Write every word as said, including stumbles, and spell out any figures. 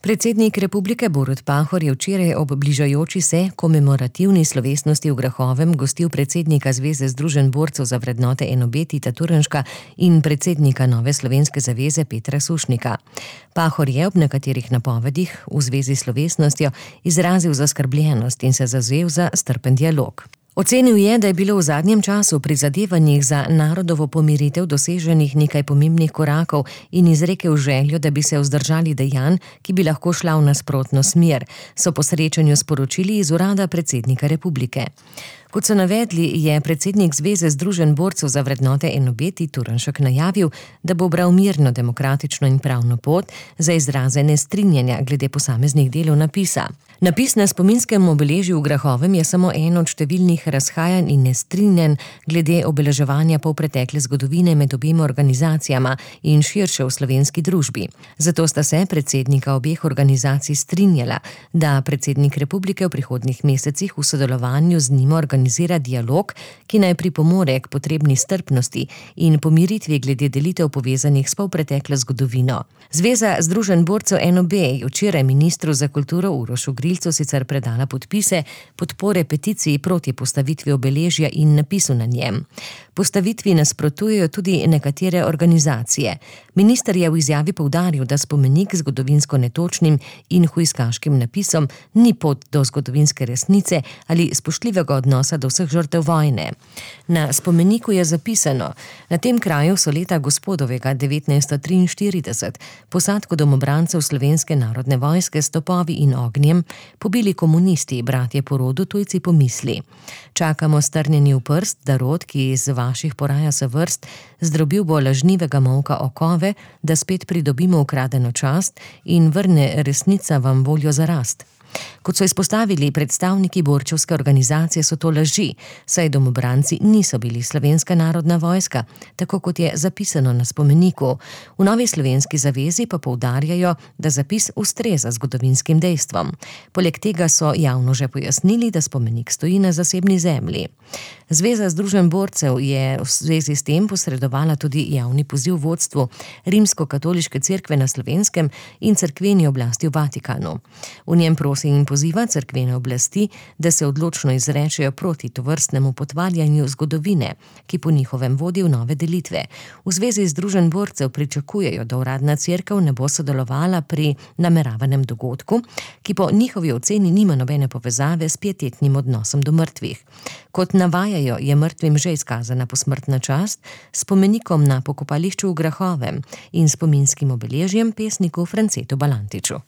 Predsednik republike Borut Pahor je včeraj ob bližajoči se komemorativni slovesnosti v Grahovem gostil predsednika Zveze združenj borcev za vrednote N O B Tita Turnška in predsednika Nove slovenske zaveze Petra Sušnika. Pahor je ob nekaterih napovedih v zvezi s slovesnostjo izrazil zaskrbljenost in se zavzel za strpen dialog. Ocenil je, da je bilo v zadnjem času pri zadevanjih za narodovo pomiritev doseženih nekaj pomembnih korakov in izrekel željo, da bi se vzdržali dejanj, ki bi lahko šla v nasprotno smer, so po srečanju sporočili iz urada predsednika republike. Kot so navedli, je predsednik Zveze združenj borcev za vrednote N O B Tita Turnšek najavil, da bo bral mirno, demokratično in pravno pot za izraze nestrinjanja glede posameznih delov napisa. Napis na spominskem obeležju v Grahovem je samo eno od številnih razhajanj in nestrinjanj glede obeleževanja polpretekle zgodovine med obema organizacijama in širše v slovenski družbi. Zato sta se predsednika obeh organizacij strinjala, da predsednik republike v prihodnjih mesecih v sodelovanju z njima organizira dialog, ki naj pripomore k potrebni strpnosti in pomiritvi glede delitev povezanih s polpreteklo zgodovino. Zveza združenj borcev N O B je včeraj ministru za kulturo Urošu Grilcu sicer predala podpise podpore peticiji proti postavitvi obeležja in napisu na njem. Postavitvi nasprotujejo tudi nekatere organizacije. Minister je v izjavi poudaril, da spomenik zgodovinsko netočnim in hujskaškim napisom ni pot do zgodovinske resnice ali spoštljivega odnosa do vseh žrtev vojne. Na spomeniku je zapisano: na tem kraju so leta gospodovega devetnajststo triinštirideset posadko domobrancev Slovenske narodne vojske s topovi in ognjem pobili komunisti, bratje po rodu, tujci po misli. Čakamo strnjeni v prst, da rod, ki iz vaših poraja se vrst, zdrobil bo lažnivega molka okove, da spet pridobimo ukradeno čast in vrne resnica vam voljo za rast. Kot so izpostavili predstavniki borčevske organizacije, so to laži, saj domobranci niso bili Slovenska narodna vojska, tako kot je zapisano na spomeniku. V Novi slovenski zavezi pa poudarjajo, da zapis ustreza zgodovinskim dejstvom. Poleg tega so javno že pojasnili, da spomenik stoji na zasebni zemlji. Zveza združenj borcev je v zvezi s tem posredovala tudi javni poziv vodstvu Rimsko-katoliške cerkve na Slovenskem in cerkveni oblasti v Vatikanu. V njem prosi in poziva cerkvene oblasti, da se odločno izrečejo proti tovrstnemu potvarjanju zgodovine, ki po njihovem vodi v nove delitve. V Zvezi združenj borcev pričakujejo, da uradna cerkev ne bo sodelovala pri nameravanem dogodku, ki po njihovi oceni nima nobene povezave s pietetnim odnosom do mrtvih. Kot navajajo, je mrtvim že izkazana posmrtna čast s spomenikom na pokopališču v Grahovem in spominskim obeležjem pesniku Francetu Balantiču.